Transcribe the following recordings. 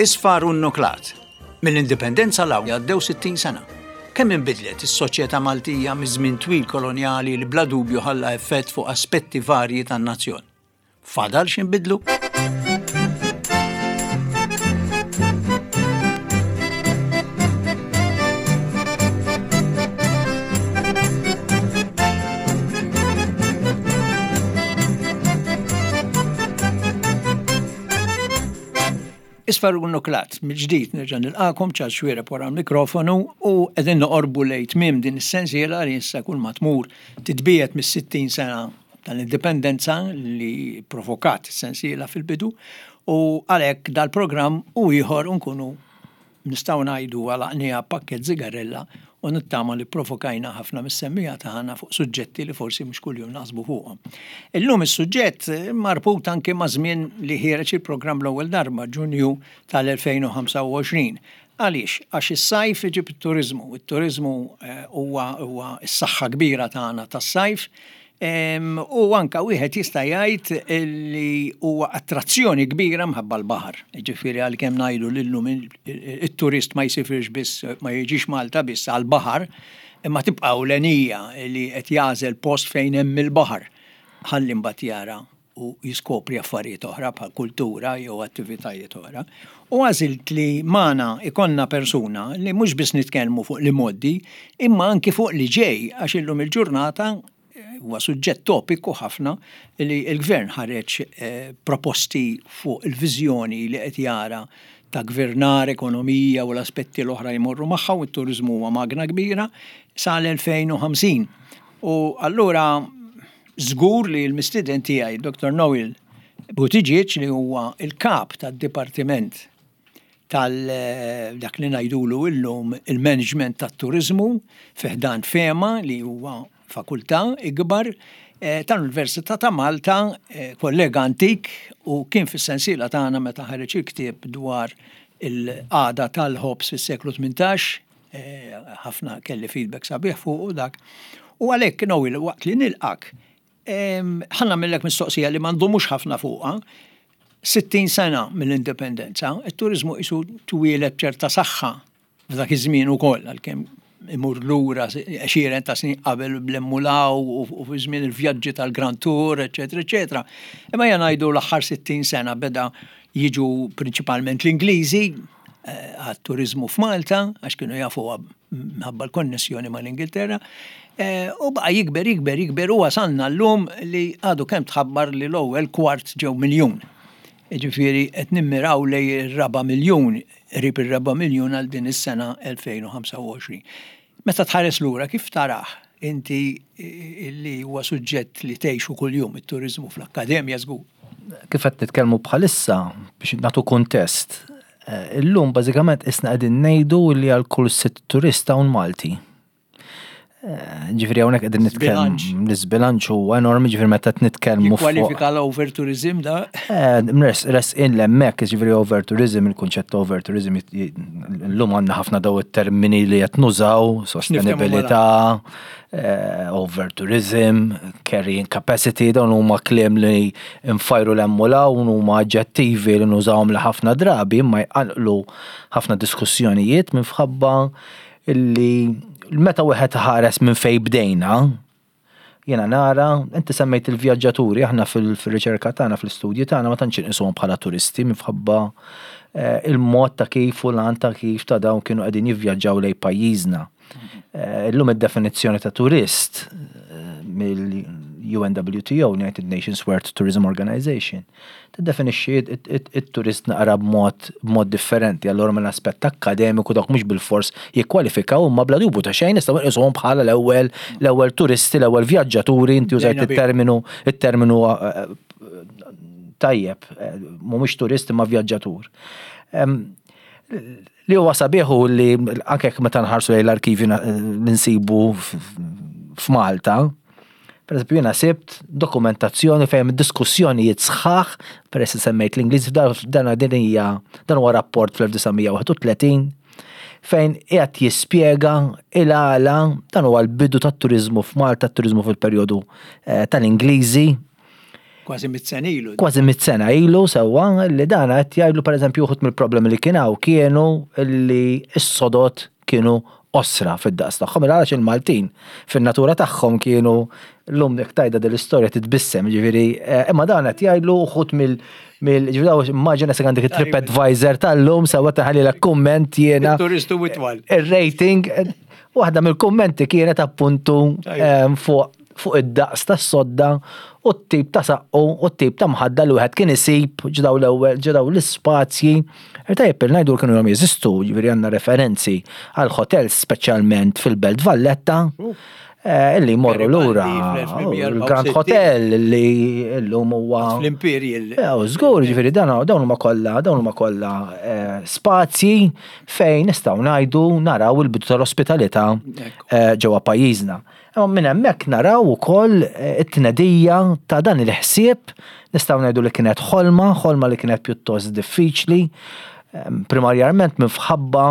Isfar u nnuklat. Mill-Indipendenza 'l hawn għaddew 60 sena. Kemm inbidlet is-soċjetà Maltija miż-żmien twil kolonjali li bla dubju ħalla effett fuq aspetti varji tan-nazzjon. Fadal x'inbidlu? Isfar u Nuklat, mill-ġdid nerġa' nilqakom Charles Xuereb wara l-mikrofonu u qegħdin noqorbu lejn tmiem din is-sensiela li issa kull ma tmur titbiegħed mis-60 sena tal-Indipendenza li provokat is-sensiela fil-bidu u għalhekk dal-programm u ieħor nkunu Nistgħu ngħidu għalaqniha b'pakkett żigarella u nittama li pprovokajna ħafna mis-semmiegħa tagħna fuq suġġetti li forsi mhux kuljum naħsbu fuqhom. Illum is-suġġett marbut anki maż-żmien li ħiereġ il-programm l-ewwel darba, Ġunju tal-2025. Għaliex? Għax is-sajf iġib it-turiżmu. It-turiżmu huwa huwa s-saħħa kbira tagħna tas-sajf U anka wieħed jista' jgħid li huwa attrazzjoni kbira mħabba l-baħar. Ġifieri għalkemm ngħidu li llum it-turist ma jsifirx biss, ma jiġix Malta biss għall-baħar, imma tibqa' ewlenija li qed jagħżel post fejn hemm il-baħar ħalli mbagħad jara u jiskopri affarijiet oħra bħal kultura jew attivitajiet oħra. U għażilt li magħna ikollna persuna li mhux biss nitkellmu fuq l-imgħoddi imma anki fuq li ġej għax illum il-ġurnata eh, huwa suġġett topiku ħafna li l-gvern ħareġ eh, proposti fuq il-viżjoni li qed jara ta' gvernar, ekonomija u l-aspetti l-oħra jmorru magħha u t-turiżmu huwa magna kbira sal-2050. U allura Żgur li l-mistieden tiegħi, Dottor Noel Buttigieg li huwa l-kap tad-dipartiment tal dak li ngħidulu illum il-management tat-turiżmu fi ħdan FEMA li huwa fakultà ikbar eh, tal-Università ta' Malta, eh, kollega antik u kien fis-sensiela tagħna meta ħareġ il-ktieb dwar il-qagħda tal-ħobż fis-seklu 18 Eh, ħafna kelli feedback sabiħ fuq u dak. U għalhekk Noel waqt li nilqak, ħa nagħmillek mistoqsija li m'għandhomux ħafna fuqha. 60 sena mill-indipendenza, it-turizmu isu twieled ċerta saħħa f'dak iż-żmien ukoll għalkemm imur lura għexieren ta' snin qabel bl-emmulaw u fi żmien il-vjaġġi tal-Grand Tour, eċetera, eċetera. Imma ejja ngħidu l-aħħar 60 sena beda jiġu prinċipalment l-Ingliżi, għat-turiżmu f'Malta, għax kienu jafuha minħabba l-konnessjoni mal-Ingilterra, eh, u baqa' jikber, jikber, jikber u wasalna llum li għadu kemm tħabbar li l-ewwel kwart ġew miljun. Ġifieri qed nimmiraw lej ir-raba' miljun, qrib ir-raba' miljun għal din is-sena 2025. Meta tħares lura kif tarah inti li huwa suġġett li tgħixu kuljum it-turiżmu fl-akkademja żgur? Kif qed nitkellmu bħalissa biex nagħtu kuntest, eh, illum bażikament isna qegħdin ngħidu li għal kull sitt turist hawn Malti. Eh, ġifieri hawnhekk qegħdin nitkellmu l-iżbilanċ huwa enormi, ġifieri meta qed nitkellmu Kwalifika l-over tourism da? Eh, res in l-hemmhekk, ġifieri over tourism, il-kunċett ta' over tourism llum għandna ħafna daw it-termini li qed nużaw, sostenibilità, eh, over tourism, carrying capacity, dawn huma kliem li nfajru l-hemm u l-hawn huma aġġettivi li nużawhom li ħafna drabi imma jqanqlu ħafna diskussjonijiet minħabba illi meta wieħed ħares minn fejn bdejna, jiena nara, inti semmejt il-vjaġġaturi, aħna fil-riċerka tagħna, fl-istudji tagħna ma tantx inqisuhom bħala turisti minħabba eh, il-mod ta' kif u l ta' kif ta' dawn kienu qegħdin jivvjaġġaw lejn pajjiżna. Eh, illum id-definizzjoni ta' turist eh, mill-UNWTO, United Nations World Tourism Organization, Tiddefinixxi it-turist naqra b'mod b'mod differenti, allura minn aspett akkademiku dawk mhux bilfors jikkwalifikaw imma bla dubju ta' xejn nistgħu nqisuhom bħala l-ewwel l-ewwel turisti, l-ewwel vjaġġaturi, inti użajt it-terminu it-terminu eh, tajjeb, eh, mhumiex turist imma vjaġġatur. Li huwa sabiħ hu li anke meta nħarsu lejn l-arkivji li nsibu f'Malta, Per eżempju, jiena sibt dokumentazzjoni fejn diskussjonijiet sħaħ, peress li semmejt l-Ingliż, dan din hija dan huwa rapport fl-1931 fejn qiegħed jispjega il-għala dan huwa l-bidu tat-turiżmu f'Malta, t-turiżmu fil-perjodu eh, tal-Ingliżi. Kważi mit sena ilu. Kważi mit sena ilu sewwa li dan qed jgħidlu pereżempju uħud mill-problemi li kien hawn kienu li s-sodod kienu qosra fid-daqs tagħhom, il għalax il-Maltin fin-natura tagħhom kienu llum jekk tgħidha din l-istorja titbissem, ġifieri, eh, imma dan qed jgħidlu uħud mill mill ġifieri daw immaġina se għandek it-trip advisor tal-lum sewwa taħalilek kumment jiena. Turistu itwal. Ir-rating, waħda mill-kummenti kienet appuntu eh, fuq fuq id-daqs tas-sodda u t-tip ta' saqqu u t-tip ta' mħadda li wieħed kien isib ġdaw l-ewwel ġdaw l-ispazji. Tajjeb il ngħidu kienu jom jeżistu, jiġifieri għandna referenzi għal hotels speċjalment fil-Belt Valletta eh, illi jmorru lura il-Grand Hotel li llum huwa fl-Imperial. Eh, żgur, jiġifieri dan dawn huma kollha dawn huma kollha eh, spazji fejn nistgħu ngħidu naraw il-bidu tal-ospitalità ġewwa pajjiżna. Imma minn hemmhekk naraw ukoll it-tnedija ta' dan il-ħsieb, nistgħu ngħidu li kienet ħolma, ħolma li kienet pjuttost diffiċli, primarjament minħabba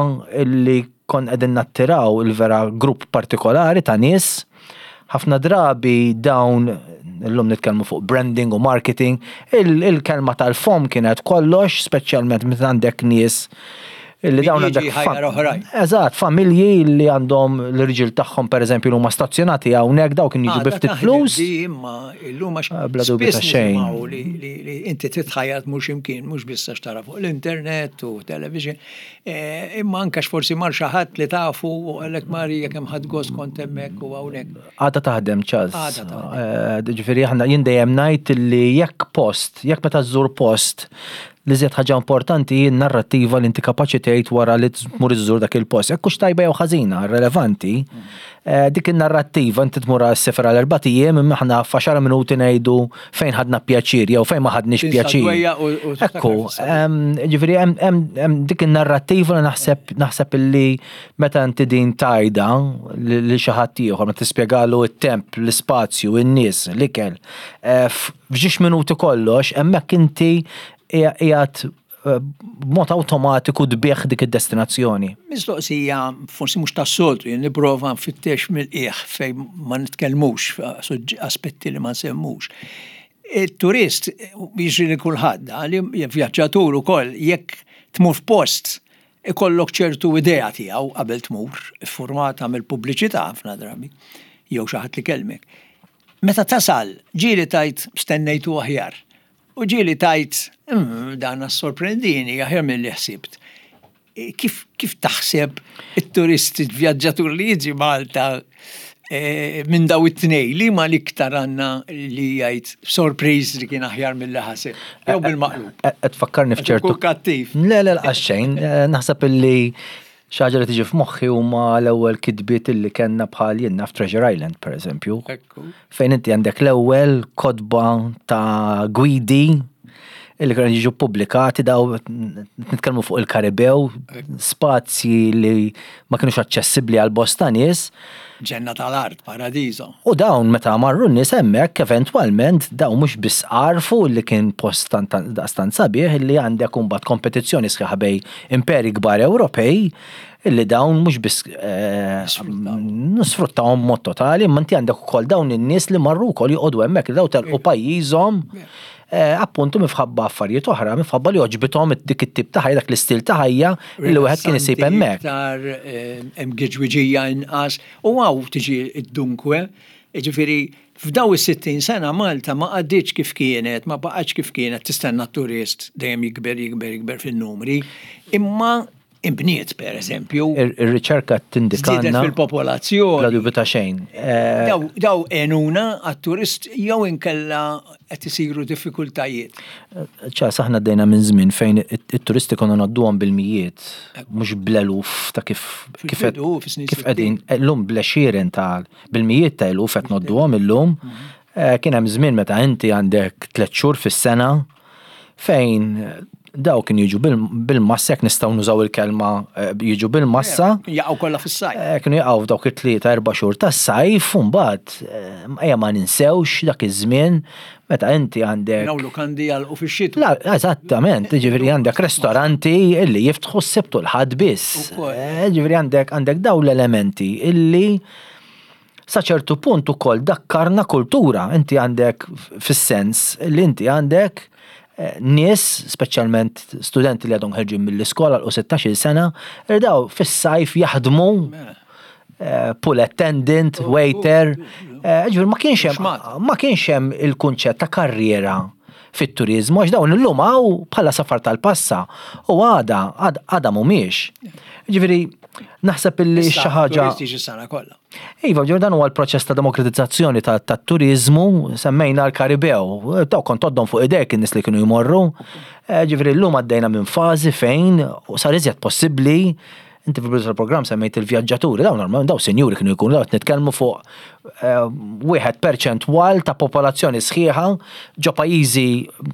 li konna qegħdin nattiraw il-vera grupp partikolari ta' nies. Ħafna drabi dawn, illum nitkellmu fuq branding u marketing, il-kelma tal-fomm kienet kollox, speċjalment meta għandek nies Illi dawn għandek. Eżatt, familji li għandhom l-irġiel tagħhom pereżempju li huma stazzjonati hawnhekk daw kien jiġu bi ftit flus. Imma illum għax ah, bla dubju ta' xejn. Li inti titħajjat mhux imkien, mhux biss għax tara fuq l-internet u television, eh, imma anke forsi mar xi ħadd li tafu u għalhekk Marija kemm ħadd gost kont hemmhekk u hawnhekk. Għadha taħdem ċaz. Għadha taħdem. Eh, ġifieri aħna jien dejjem ngħid li jekk post, jekk meta żżur post L-iżjed ħaġa importanti hi n-narrattiva li inti kapaċi tgħid wara li tmur iżżur dak il-post. Jekk hux tajba jew ħażina, irrelevanti, eh, dik in-narrattiva inti tmur għas-sefer għal erbat ijiem imma aħna f'għaxar minuti ngħidu fejn ħadna pjaċir jew fejn ma ħadniex pjaċir. Ekku, ġifieri hemm dik in-narrattiva li naħseb naħseb illi meta inti din tgħidha lil xi ħadd ieħor, meta tispjegalu t-temp, l-ispazju, in-nies, l-ikel, eh, F'ġiex minuti kollox, hemmhekk inti qiegħed eh, b'mod awtomatiku tbigħ dik id-destinazzjoni. Mistoqsija forsi mhux tas-soltu, jien nipprova nfittex mill-qiegħ fejn ma nitkellmux aspetti li ma nsemmux. Il-turist jiġri li kulħadd, li vjaġġatur ukoll jekk tmur f'post ikollok ċertu idea tiegħu qabel tmur, iffurmata mill-pubbliċità ħafna drabi, jew xi ħadd li kellmek. Meta tasal, ġieli tgħid stennejtu aħjar. U ġieli tgħid, mm, dan assorprendini aħjar milli ħsibt. E, kif, kif taħseb it-turist, il-vjaġġatur li jiġi Malta e, minn daw it-tnej, li ma l-iktar għanna li jgħid sorpriż li kien aħjar mill-li ħaseb, jew bil-maqlub. Qed tfakkarni f'ċertu. Kattiv. Le, le, l-qaxxejn, eh, naħseb illi Xi ħaġa li tiġi f'moħħi huma l-ewwel kitbiet illi kellna bħal jien naf Treasure Island pereżempju. Fejn inti għandek l-ewwel kotba ta' gwidi illi kienu jiġu pubblikati daw nitkellmu fuq il-Karibew, spazji li ma kienux aċċessibbli għal bosta nies. Ġenna tal-art, paradiso. U dawn meta marru n-nies hemmhekk eventwalment dawn mhux biss għarfu li kien post daqstant sabiħ li għandek imbagħad kompetizzjoni sħiħa bejn imperi kbar Ewropej illi dawn mhux biss eh, sfruttawhom mod totali, imma inti għandek ukoll dawn in-nies li marru wkoll joqogħdu hemmhekk li daw telqu pajjiżhom eh, appuntu minħabba affarijiet oħra, minħabba li għoġbithom dik it-tip ta' ħajja, dak l-istil ta' ħajja li wieħed kien isib hemmhekk. Iktar eh, hemm giġwiġija inqas u hawn tiġi d-dunkwe, jiġifieri f'daw is-60 sena Malta ma għaddietx kif kienet, ma baqgħetx kif kienet tistenna t-turist dejjem jikber jikber jikber fin-numri, imma imbniet per eżempju. Ir-riċerka tindikanna. Żdiedet fil-popolazzjoni. Bla dubju ta' xejn. Eh, daw għenuna għat-turist jew inkella qed isiru diffikultajiet. Ċas aħna għaddejna minn żmien fejn it-turisti konna ngħadduhom bil-mijiet, mhux bl-eluf ta' kif kif kif qegħdin illum bl-għexieren ta' bil-mijiet ta' eluf qed ngħodduhom illum. Mhm. Eh, kien hemm żmien meta inti għandek tliet xhur fis-sena fejn daw kien jiġu bil-massa, jekk nistgħu nużaw il-kelma eh, jiġu bil-massa. Jaqgħu kollha fis-sajf. Eh, kienu jaqgħu f'dawk it-tlieta erba' xhur tas-sajf u mbagħad eh, ejja ma ninsewx dak iż-żmien meta inti għandek. Dawn lukandi jagħlqu fix-xitwa. La, eżattament, ġifieri għandek restoranti illi jiftħu s-Sibt u l-Ħadd biss. Ġifieri għandek għandek dawn l-elementi illi. Sa ċertu punt ukoll dakkarna kultura, inti għandek fis-sens li inti għandek eh, nies, speċjalment studenti li għadhom ħerġin mill-iskola l 16 sena, li daw fis-sajf jaħdmu mela. eh, pool attendant, oh, waiter, oh, eh, ġifieri ma kienx hemm ma kienx hemm il-kunċett ta' karriera fit-turiżmu għax dawn illum hawn bħala safar tal-passa u għada għada mhumiex. Ġifieri naħseb illi xi ħaġa. Turisti sena kollha. Iva, ġifieri dan huwa l-proċess ta' demokratizzazzjoni tat-turiżmu, semmejna l-Karibew, daw kont għoddhom fuq idejk in-nies li kienu jmorru. Eh, ġifieri llum għaddejna minn fażi fejn sar iżjed possibbli Inti fil-bidu tal-programm semmejt il-vjaġġaturi, dawn normalment daw sinjuri kienu jkunu daw qed nitkellmu fuq eh, wieħed perċentwal ta' popolazzjoni sħiħa ġo pajjiżi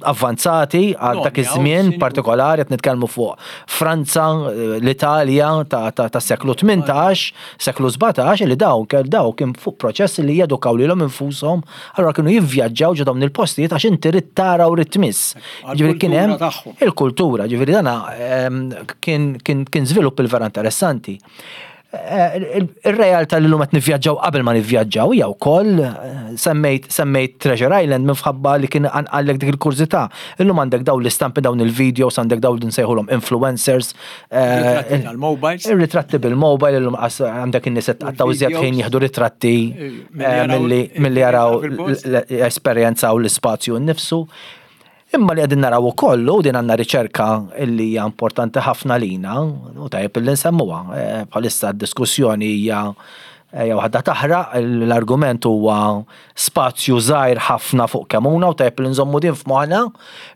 avvanzati għal dak iż-żmien partikolari qed nitkellmu fuq Franza, eh, l-Italja ta' seklu 18, seklu 17 li dawn daw kien fuq proċess li jedukaw lilhom infushom, allura kienu jivvjaġġaw ġo dawn il-postijiet għax inti rid tara u rid tmiss. Ġifieri kien hemm il-kultura, ġifieri dana ehm, kien kien żvilupp il-vera interessanti. Eh, ir-realtà li l-lum qed nivvjaġġaw qabel ma nivvjaġġaw hija wkoll eh, semmejt semmejt Treasure Island minħabba li kien għallek dik il-kurżità. Illum għandek dawn l-istampi dawn il-videos għandek dawn li nsejħulhom influencers. Eh, ritratti tal-mobiles. Ritratti bil-mobile illum għandek in-nies qed tqattgħu iżjed ħin jieħdu ritratti milli jaraw esperjenzaw l-ispazju nnifsu. Imma li qegħdin naraw ukoll, u din għandna riċerka li hija importanti ħafna lina, u tajjeb li nsemmuha, eh, bħalissa d-diskussjoni hija eh, jew waħda taħraq, l-argument huwa spazju żgħir ħafna fuq Kemuna u tajjeb li nżommu din f'moħħna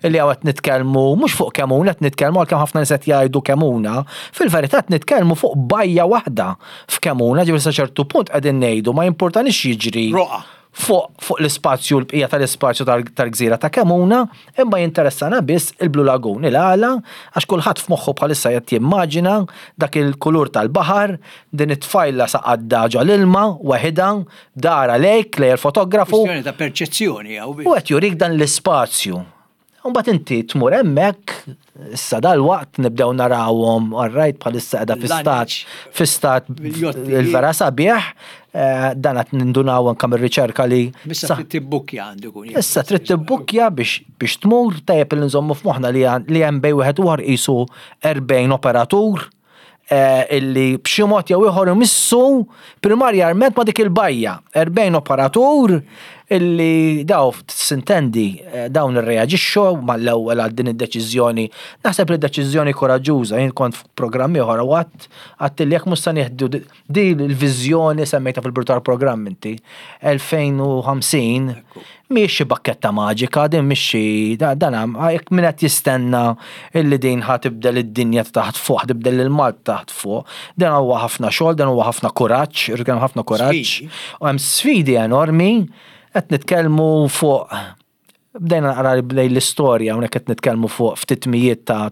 li hawn qed nitkellmu mhux fuq Kemuna qed nitkellmu għalkemm ħafna nies qed jgħidu Kemuna, fil-verità qed nitkellmu fuq bajja waħda f'Kemuna, ġifieri sa ċertu punt qegħdin ngħidu ma jimpurtanix jiġri. Roqa fuq fuq l-ispazju l-bqija tal-ispazju tal-gżira ta' Kemuna, imma jinteressana biss il-Blue Lagoon. Il-għala għax kulħadd f'moħħu bħalissa qed jimmaġina dak il-kulur tal-baħar, din it-tfajla saqadda ġo l-ilma waħidha, dara lejk, lejn il-fotografu. Kwistjoni ta' perċezzjoni hawn. U qed jurik dan l-ispazju. Mbagħad inti tmur hemmhekk, issa dalwaqt nibdew narawhom, all right, bħalissa qiegħda fi stat fi stat il-vera sabiħ, eh, dan qed nindunaw anke mir-riċerka li. Issa trid tibbukkja għandu jkun. Issa trid tibbukkja biex biex tmur tajjeb li nżommu f'moħħna li hemm bejn wieħed u ieħor qisu 40 operatur Eh, illi b'xi mod jew ieħor imissu primarjament ma' dik il-bajja. 40 operatur illi daw sintendi eh, dawn irreaġixxu mal-ewwel għal din id-deċiżjoni. Naħseb li deċiżjoni koraġġuża, jien kont f'programm ieħor u għadt għadt li jekk mhux se nieħdu di l-viżjoni semmejta fil-bidu tal-programm inti 2050 Mhijiex xi bakketta maġika, din mhix xi dan jekk min qed jistenna illi din ħa tibdel id-dinja ta' taħt fuq, ħa tibdel lil Malta taħt fuq. Dan huwa ħafna xogħol, dan huwa ħafna kuraġġ, irid hemm ħafna kuraġġ. U hemm sfidi enormi, qed nitkellmu fuq bdejna naqra bdej l-istorja hawnhekk qed nitkellmu fuq ftit mijiet ta'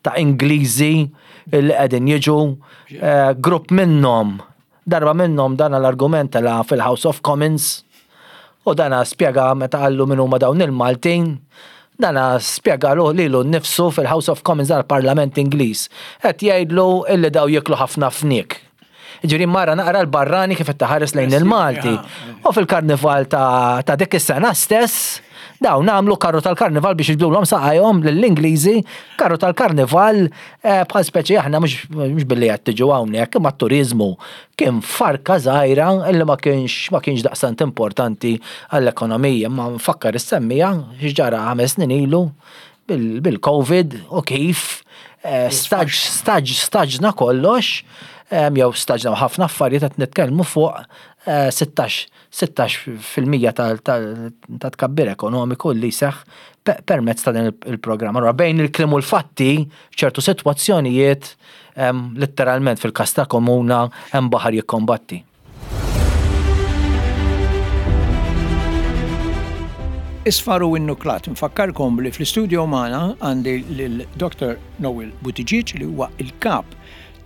ta' Ingliżi li qegħdin jiġu, eh, grupp minnhom Darba minnhom dana l-argument tela' fil-House of Commons u dana spjega meta qallu min huma dawn il-Maltin, dana spjegalu lilu nnifsu fil-House of Commons dan il-Parlament Ingliż. Qed jgħidlu illi daw jieklu ħafna fniek. Jiġifieri mara naqra l-barrani kif qed taħares lejn il-Malti. U fil-karnival ta' ta' dik is-sena stess, dawn għamlu karru tal-karnival biex jiġbdulhom saqajhom lill-Ingliżi, karru tal-karnival Eh, bħal speċi aħna mhux billi qed tiġu hawnhekk, imma t-turiżmu kien farka żgħira illi ma kienx ma kienx daqstant importanti għall-ekonomija, imma nfakkar is-semmija x'ġara ħames snin ilu bil-Covid u kif eh, staġ staġ staġna kollox eh, jew staġna ħafna affarijiet qed nitkellmu fuq 16 16% ta' tkabbir ekonomiku li seħ permezz ta' din il-programm. Allura bejn il-kliem u l-fatti, ċertu sitwazzjonijiet letteralment fil-każ ta' komuna hemm baħar jikkombatti. Isfar u Innuklat. Nfakkarkom li fl-istudio magħna għandi lil Dr. Noel Buttigieg li huwa il-kap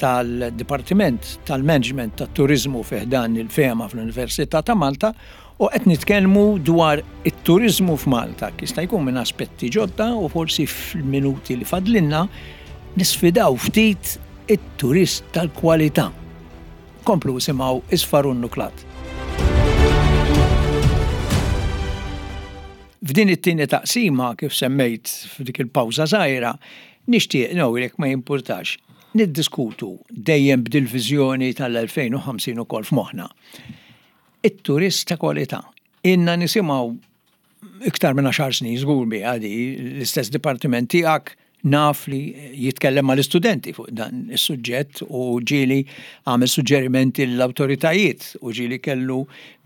tal-Dipartiment tal-Management tat-Turiżmu fi ħdan il-FEMA fl-Università ta' Malta u qed nitkellmu dwar it-turiżmu f'Malta, jista' jkun minn aspetti ġodda u forsi fil-minuti li fadlinna nisfidaw ftit it-turist tal-kwalità. Komplu isimgħu Isfar u Nnuklat. F'din it-tieni taqsima, kif semmejt f'dik il-pawża żgħira, nixtieq, Noel, jekk ma jimpurtax, niddiskutu dejjem b'dil-viżjoni tal-2050 ukoll f'moħħna. It-turist ta' kwalità. Ilna nisimgħu iktar minn għaxar snin żgur biha di, l-istess dipartiment tiegħek naf li jitkellem mal-istudenti fuq dan is-suġġett u ġieli għamel suġġerimenti lill-awtoritajiet u ġieli kellu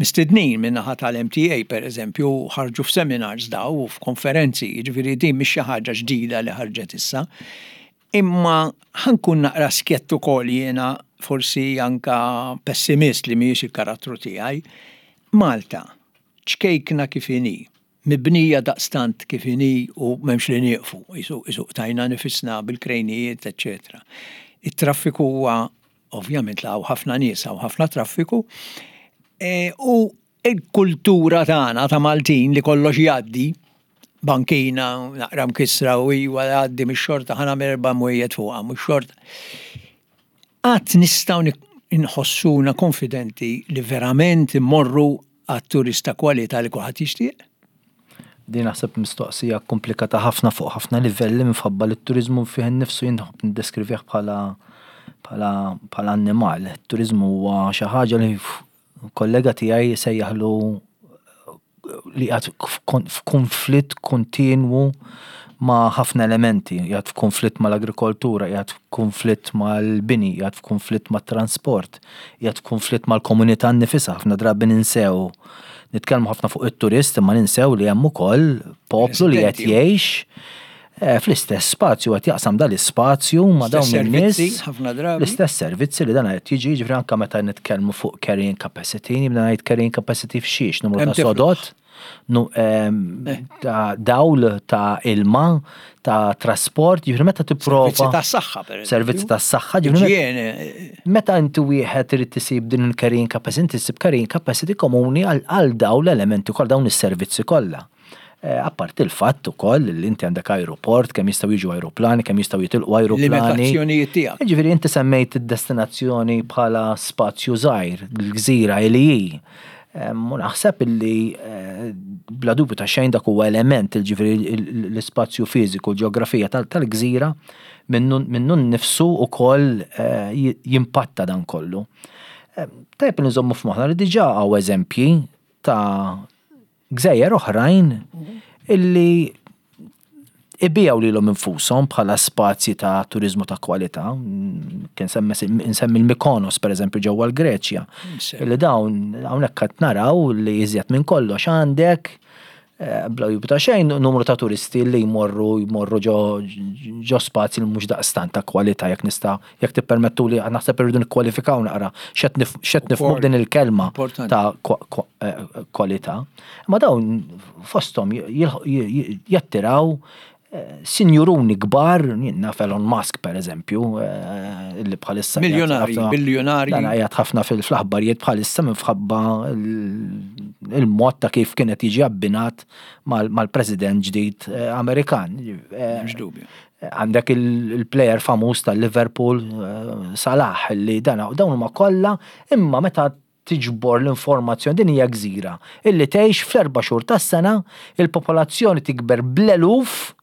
mistednin min-naħa tal-MTA pereżempju ħarġu f'seminars daw u f'konferenzi, jiġifieri din mhix xi ħaġa ġdida li ħarġet issa. Imma ħa nkun naqra skjett ukoll jiena forsi anka pessimist li mhijiex il-karattru tiegħi, Malta ċkejkna kif inhi, mibnija daqstant kif inhi u m'hemmx li nieqfu, qisu qisu qtajna nifisna bil-krejnijiet, eċċetera. It-traffiku huwa ovvjament la hawn ħafna nies hawn ħafna traffiku, e, u l-kultura tagħna ta' Maltin li kollox jgħaddi, bankina naqra mkissra u iwa jgħaddi mix-xorta ħa nagħmel erba' mwejjed fuqha, mhux xorta. Qatt nistgħu nħossuna konfidenti li verament immorru għat-turist ta' kwalità li kulħadd jixtieq? Din naħseb mistoqsija komplikata ħafna fuq ħafna livelli minħabba li t-turiżmu fih innifsu jien nħobb niddeskrivih bħala bħala bħala annimal. It-turiżmu huwa xi ħaġa li kollega tiegħi sejjaħlu li qiegħed f'kunflitt kontinwu ma' ħafna elementi, qiegħed f'kunflitt mal-agrikoltura, qiegħed f'kunflitt mal-bini, qiegħed f'kunflitt mat-transport, qiegħed f'kunflitt mal-komunità nnifisha, ħafna drabi ninsew. Nitkellmu ħafna fuq it-turist imma ninsew li hemm ukoll poplu li qed jgħix eh, fl-istess spazju qed jaqsam dal-ispazju ma' dawn in-nies. L-istess servizzi li dan qed jiġi, jiġifieri anke meta nitkellmu fuq carrying capacity, nibda ngħid carrying capacity f'xiex, numru ta' sodot, ehm, eh. ta' dawl, ta' ilma, ta' trasport, jiġifieri meta tipprova. Servizzi ta' saħħa, per Servizzi ta' saħħa, jiġifieri eh. Meta inti wieħed irid tisib din il-carrying capacity, inti ssib carrying capacity komuni għal dawn l-elementi kollha, dawn is-servizzi kollha. Eh, apparti il-fatt ukoll li inti għandek aeroport, kemm jistgħu jiġu aeroplani, kemm jistgħu jitilqu aeroplani. Limitazzjonijiet tiegħek. Jiġifieri inti semmejt id-destinazzjoni bħala spazju żgħir, l-gżira li hi. U naħseb illi eh, bla dubju ta' xejn dak huwa element, ġifieri l-ispazju fiżiku, l-ġeografija tal-gżira minnu nnifsu ukoll eh, jimpatta dan kollu. Tajjeb li nżommu f'moħħna li diġà hawn eżempji ta' gżejjer oħrajn illi ibijaw lilhom infushom bħala spazji ta' turiżmu ta' kwalità. Kien insemmi l-Mykonos pereżempju ġewwa l-Greċja. Illi dawn hawnhekk qed naraw li iżjed minn kollox għandek eh, bla dubju ta' xejn numru ta' turisti li jmorru jmorru ġo spazji li mhux daqstant ta' kwalità jekk nista' Jekk tippermettuli, naħseb irridu nikkwalifikaw naqra x'qed nifhmu b'din il-kelma ta' eh, kwalità. Ma dawn fosthom jattiraw eh, sinjuruni kbar, naf Elon Musk per eżempju, eh, li bħalissa. Miljonari, biljonari. Dan qiegħed ħafna fil-aħbarijiet bħalissa minħabba il-mod ta' kif kienet jiġi abbinat mal-president ġdid Amerikan. M'hemmx dubju. Għandek il-player famuż tal-Liverpool, eh, Salah, li dan dawn huma kollha, imma meta tiġbor l-informazzjoni din hija gżira illi tgħix fl-erba' xhur tas-sena, il-popolazzjoni tikber bl-eluf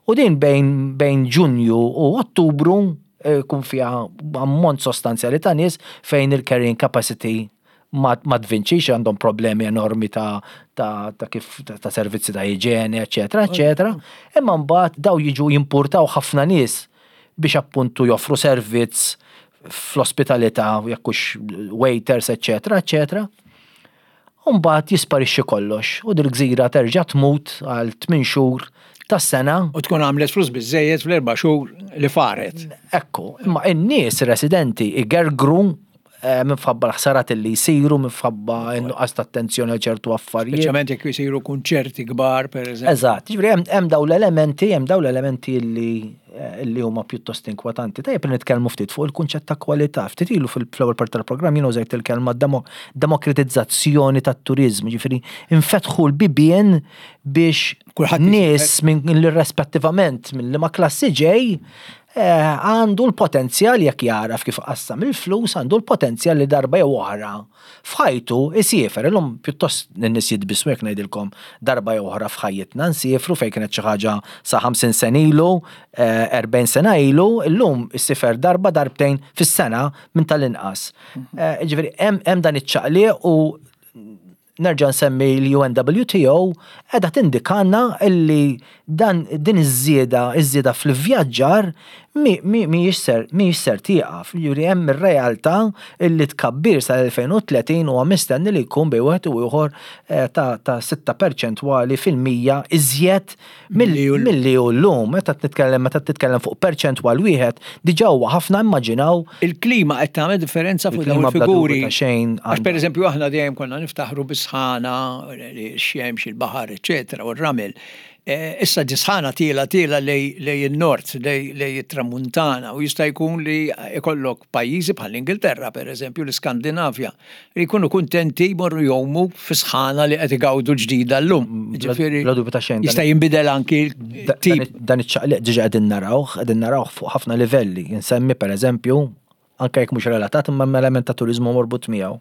u din bejn, bejn Ġunju u Ottubru eh, jkun fiha ammont sostanzjali ta' nies fejn il-carrying capacity ma tvinċix għandhom problemi enormi ta' ta' ta' kif ta' servizzi ta' iġene, eċetera, eċetera. Imma mbagħad daw jiġu jimpurtaw ħafna nies biex appuntu joffru servizz fl-ospitalità, jekk hux waiters, eċetera, eċetera. U mbagħad jisparixxi kollox u dil-gżira terġa' tmut għal tmien xhur tas-sena. U tkun għamlet flus biżżejjed fl-erba' xhur li faret. Ekku, imma in-nies residenti igergru Eh, minħabba l-ħsarat li jsiru, minħabba n-nuqqas ta' attenzjoni għal ċertu affarijiet. Speċjalment jekk jsiru kunċerti kbar, per eżempju. Eżatt, ġifieri hemm dawn l-elementi, hemm dawn l-elementi li eh, li huma pjuttost inkwetanti. Tajjeb li nitkellmu ftit fuq il-kunċett ta' kwalità. Ftit ilu fil-ewwel parti tal-programm jien użajt il-kelma demokratizzazzjoni tat-turiżmu, ġifieri infetħu l-bibien biex nies minn rispettivament minn liema klassi ġej. Għandu l-potenzjal jekk jagħraf kif iqassam il-flus, għandu l-potenzjal li darba jew oħra f'ħajtu jsiefer. Illum pjuttost in-nies jitbissmu jekk ngħidilkom darba jew oħra f'ħajjitna nsiefru fejn kienet xi ħaġa sa 50 sena ilu, 40 sena ilu, illum issifer darba darbtejn fis-sena minn tal-inqas. Ġifieri hemm dan iċ-ċaqliq u nerġa' nsemmi l-UNWTO qiegħda tindikalna illi dan din iż-żieda, iż-żieda fl-ivvjaġġar mhijiex ser mhijiex ser tieqaf. Jiġifieri hemm ir-realtà illi tkabbir sal-2030 huwa mistenni li jkun bejn wieħed u ieħor ta' ta' sitta perċentwali fil-mija iżjed Milli hu llum, meta titkellem meta titkellem fuq perċentwal wieħed, diġà huwa ħafna immaġinaw. Il-klima qed tagħmel differenza fuq dawn il-figuri. Xejn. Għax pereżempju aħna dejjem konna niftaħru bis-sħana, x-xemx, il-baħar, eċetera, u r-ramel. Eh, issa di sħana tiela tiela lej in-nord, lej it-tramuntana, u jista' jkun li ikollok pajjiżi bħall-Ingilterra, pereżempju, l-Iskandinavja, li jkunu kuntenti jmorru jgħumu fi sħana li qed igawdu ġdida llum. Ġifieri Bla dubju ta' xejn. Jista' jinbidel anki tip. Dan iċ-ċaqliq diġà qegħdin narawh, qegħdin narawh fuq ħafna livelli. Insemmi pereżempju, anke jekk mhux relatat imma hemm element ta' turiżmu morbut miegħu.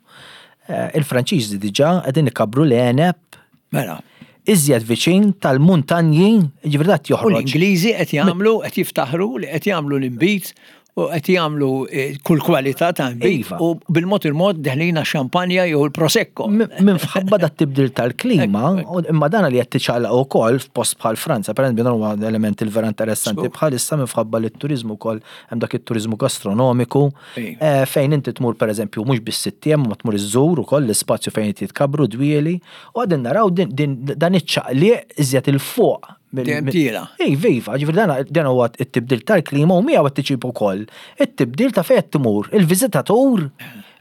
Eh, il-Franċiżi diġà qegħdin ikabbru l-għeneb Mela. Iżjed viċin tal-muntanji, ġifieri dat joħroġ. U l-Ingliżi qed jagħmlu, qed jiftaħru li qed jagħmlu l-inbid u qed jagħmlu eh, kull kwalità ta' nbid iva. u bil-mod il-mod deħlina xampanja jew il-prosecco. Minn fħabba dat tibdil tal-klima, imma dan li qed tiċċaqlaq ukoll f'post bħal Franza, per eżempju dan huwa element il-vera interessanti bħalissa minn fħabba li t-turiżmu wkoll hemm dak it-turiżmu gastronomiku eh, fejn inti tmur pereżempju mhux biss sitt ma tmur iżżur ukoll l-ispazju fejn jitkabru dwieli U għadin naraw dan iċ-ċaqliq iżjed 'il fuq. Dejjem tiela'. Iva, iva, ġifieri dan huwa t-tibdil tal-klima u miegħu qed tiġib ukoll it-tibdil ta' fejn qed tmur il-viżitatur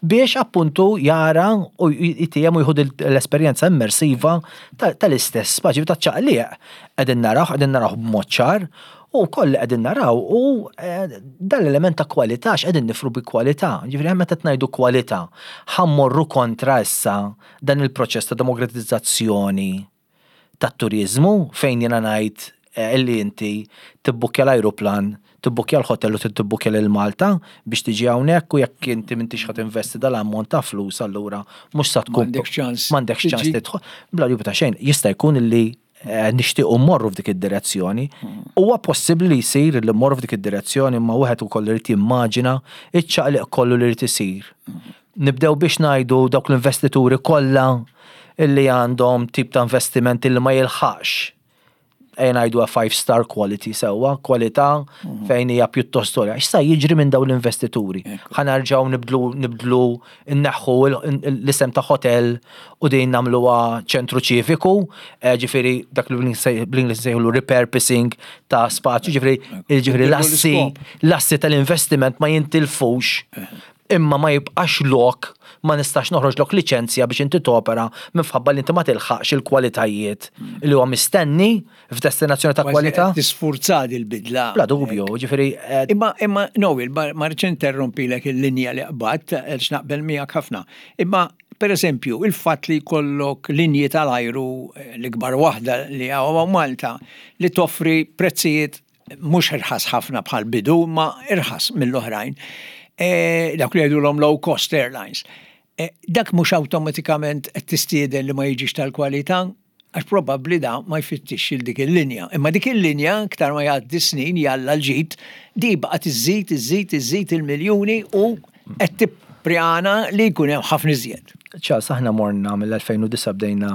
biex appuntu jara u jtiem u jieħu l-esperjenza immersiva tal-istess spazju taċ-ċaqliq. Qegħdin narawh, qegħdin narawh b'mod ċar u wkoll li qegħdin naraw hu dan l-element ta' kwalità x'qegħdin nifru bi kwalità. Ġifieri hemm meta qed ngħidu kwalità, ħa mmorru kontra issa dan il-proċess ta' demokratizzazzjoni tat-turiżmu fejn jiena ngħid eh, illi inti tibbukkja l-ajruplan, tibbukkja l-hotel u tibbukkja lil Malta biex tiġi hawnhekk u jekk inti m'intix ħa tinvesti dal-ammont ta' flus allura mhux sa tkun M'għandekx ċans. M'għandekx ċans tidħol. Bla dubju ta' xejn, jista' jkun illi eh, nixtiequ mmorru f'dik id-direzzjoni. Huwa possibbli li jsir li mmorru f'dik id-direzzjoni imma wieħed ukoll irid jimmaġina iċ-ċaqliq kollu li jrid isir. Nibdew biex ngħidu dawk l-investituri kollha illi għandhom tip ta' investiment illi ma jilħaqx ejja ngħidu a five star quality sewwa, kwalità mhm. fejn hija pjuttost għolja. X'sa jiġri minn dawn l-investituri? Ħa nerġgħu nibdlu nibdlu nneħħu l-isem ta' hotel u din nagħmluha ċentru ċiviku, eh, ġifieri dak li bl-Ingliż nsejħulu repurposing ta' spazju, ġifieri ġifieri l-assi l-assi tal-investiment ma jintilfux. Eh. Imma ma jibqax lok, ma nistax noħroġlok liċenzja biex inti topera minfħabba li inti ma tilħaqx il-kwalitajiet li huwa mistenni f'destinazzjoni ta' kwalità. Tisfurza il-bidla. Bla dubju, ġifieri. Eh, imma imma Noel, ma rridx interrompilek il-linja li qbadt għax naqbel miegħek ħafna. Imma per eżempju, il-fatt li jkollok linji tal-ajru eh, l-ikbar waħda li hawn Malta li toffri prezzijiet mhux irħas ħafna bħal bidu, ma irħas mill-oħrajn. E, dak li jgħidulhom low cost airlines. E, dak mhux awtomatikament qed tistieden li ma jiġix tal-kwalità, għax probabbli da ma jfittixx il dik il-linja. Imma dik il-linja, iktar ma jgħaddi snin jalla l-ġid, di baqgħet iżżid, iżżid, iżżid il-miljuni u qed tipprjana li jkun hemm ħafna iżjed. Charles, aħna morna mill-2009 bdejna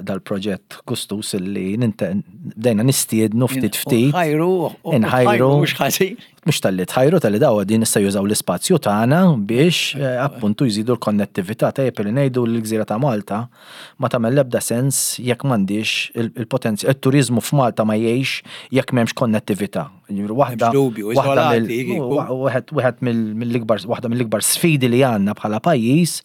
dal-proġett gustus illi bdejna nistiednu ftit ftit. Ħajru, inħajru. Mhux ħażin. Mhux talli tħajru, talli daw din issa jużaw l-ispazju tagħna biex eh, appuntu jżidu l-konnettività tajjeb li ngħidu l-gżira ta' Malta ma tagħmel l-ebda sens jekk m'għandix il-potenzjal, il-turiżmu f'Malta ma jgħix jekk m'hemmx konnettività. Waħda wieħed mill-ikbar waħda mill-ikbar sfidi li għandna bħala pajjiż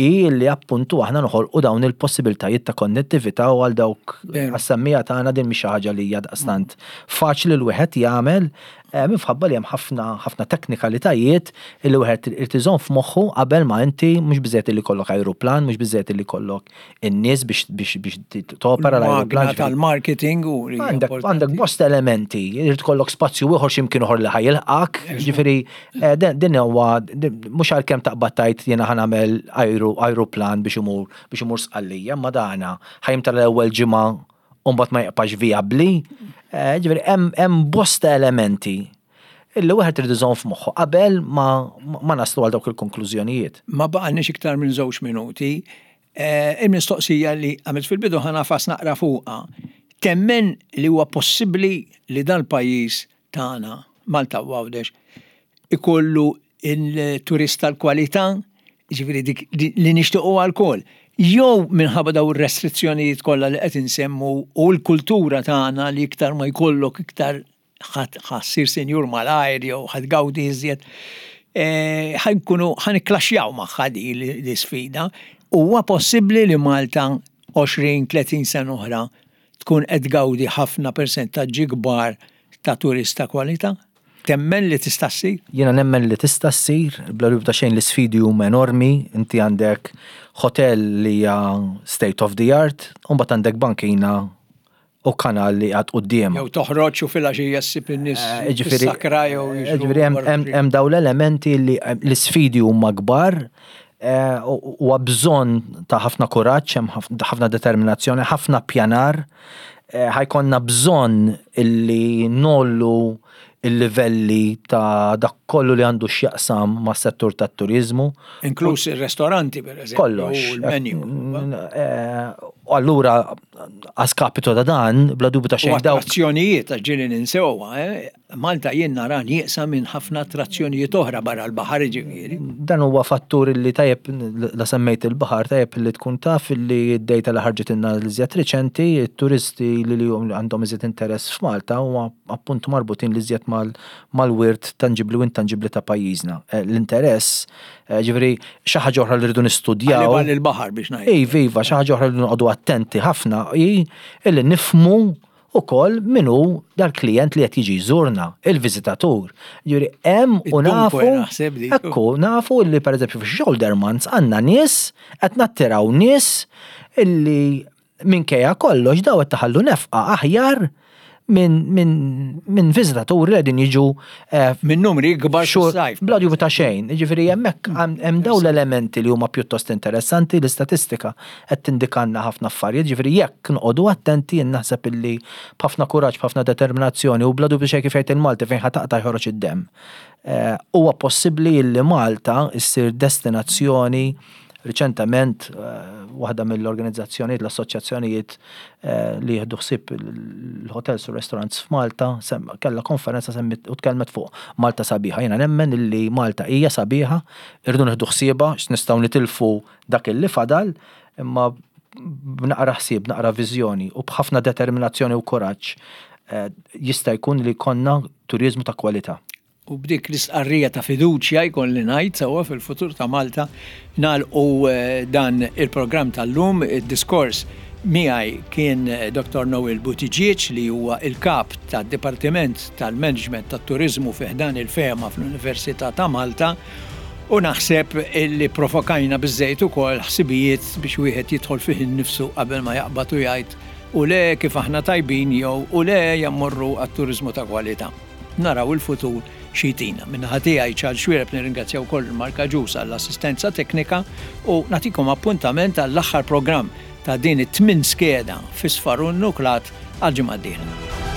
hi li appuntu aħna noħolqu dawn il-possibiltajiet ta' konnettività u għal dawk għas-semmija tagħna din mhix xi ħaġa li hija daqstant faċli l wieħed jagħmel. Minħabba li hemm ħafna ħafna teknikalitajiet illi wieħed irid iżomm f'moħħu qabel ma inti mhux biżejjed illi jkollok ajruplan, mhux biżejjed illi jkollok in-nies biex biex biex topera l-ajruplan. Magna tal-marketing u għandek għandek bosta elementi, irid ikollok spazju ieħor x'imkien ieħor li ħajilqak, ġifieri din huwa mhux għalkemm taqbad tgħid jiena ħa nagħmel ajruplan biex imur biex imur Sqallija, imma dana ħajimtela l-ewwel ġimgħa u mbagħad ma jibqax vijabbli. Eh, ġifieri hemm bosta elementi illi wieħed irid iżomm f'moħħu qabel ma, ma naslu għal dawk il-konklużjonijiet. Ma baqgħalniex iktar minn żewġ minuti. Eh, il-mistoqsija li għamilt fil-bidu ħa nagħfas naqra fuqha. Temmen li huwa possibbli li dal-pajjiż tagħna, Malta u Għawdex, ikollu il-turist tal-kwalità, jiġifieri dik li nixtiequha lkoll, jew minħabba dawn ir-restrizzjonijiet kollha li qed insemmu u l-kultura tagħna li iktar ma jkollok iktar ħa ssir sinjur malajr jew ħa tgawdi iżjed, ħa nkunu ħa nikklaxxjaw magħha din l-isfida. Huwa possibbli li Malta 20, 30 sena oħra tkun qed tgawdi ħafna persentaġġi kbar ta' turist ta' kwalità? Temmen li tista' ssir? Jiena nemmen li tista' ssir, bla dubju ta' xejn l-isfidi huma enormi, inti għandek hotel li hija state of the art, u mbagħad għandek bankina u kanal li qiegħed quddiem. Jew toħroġ u filgħaxija ssib in-nies eh, fis-sakra jew Ġifieri hemm dawn l-elementi li eh, l-isfidi huma kbar, eh, huwa bżonn ta' ħafna kuraġġ, hemm ħafna determinazzjoni, ħafna pjanar. Ħa jkollna bżonn illi ngħollu il-livelli ta' dak kollu li għandu x'jaqsam mas-settur tat-turiżmu. Inkluż ir-restoranti, per eżempju. Kollox. U l-menu. U allura, a skapito ta' dan, bla dubju ta' xejn dawk. Attrazzjonijiet, għax ġieli ninsewha, eh? Malta jien nara nieqsa minn ħafna attrazzjonijiet oħra barra l-baħar jiġifieri. Dan huwa fattur li tajjeb la semmejt il-baħar tajjeb li tkun taf li d-data li ħarġitilna l-iżjed riċenti, it-turisti li għandhom iżjed interess f'Malta huma appuntu marbutin l-iżjed mal-wirt tanġibbli u intanġibbli ta' pajjiżna. L-interess, ġifieri xi ħaġa oħra li rridu nistudjaw. Għal il-baħar biex ngħid. Iva, iva, xi ħaġa oħra li rridu noqogħdu attenti ħafna hi li nifhmu ukoll min hu dal-klijent li qed jiġi jżurna, il-viżitatur. Jiġifieri hemm u nafu. Ekku, nafu li pereżempju fix-shoulder months għandna nies qed nattiraw nies illi minkejja kollox daw qed taħallu nefqa aħjar minn viżitaturi li qegħdin jiġu eh, minn numri kbar xhur bla dubju ta' xejn. Jiġifieri hemmhekk hemm dawn l-elementi li huma pjuttost interessanti, l-istatistika qed tindikalna ħafna affarijiet, jiġifieri jekk noqogħdu attenti jien naħseb illi b'ħafna kuraġġ, b'ħafna determinazzjoni u bla dubju xejn kif jgħid il-Malti fejn ħa taqta' joħroġ id-demm. Huwa possibbli illi Malta ssir destinazzjoni riċentement waħda mill-organizzazzjonijiet, l-assoċjazzjonijiet li jieħdu ħsieb il-hotels u restaurants f'Malta kellha konferenza semmiet u tkellmet fuq Malta sabiħa. Jiena nemmen illi Malta hija sabiħa, irridu nieħdu ħsiebha x'nistgħu nitilfu dak illi fadal, imma b'naqra ħsieb, b'naqra viżjoni u b'ħafna determinazzjoni u kuraġġ eh, jista' jkun li jkollna turiżmu ta' kwalità. U b'dik l-istqarrija ta' fiduċja jkolli ngħid sewwa fil-futur ta' Malta nagħlqu eh, dan il-programm tal-lum, id-diskors miegħi kien eh, Dr. Noel Buttigieg li huwa il-kap tad-Dipartiment tal-Management tat-Turiżmu fi ħdan il-FEMA fl-Università ta' Malta U naħseb illi provokajna biżżejjed ukoll ħsibijiet biex wieħed jidħol fih innifsu qabel ma jaqbad u jgħid u le kif aħna tajbin jew u le ejja mmorru għat-turiżmu ta' kwalità. Naraw il-futur xi jtina. Min-naħa tiegħi Charles Xuereb nirringrazzja wkoll lil Mark Agius għall-assistenza teknika u nagħtikom appuntament għall-aħħar programm ta' din it-tmien skeda fi Sfar u Nuklat għall-ġimgħa d-dieħla.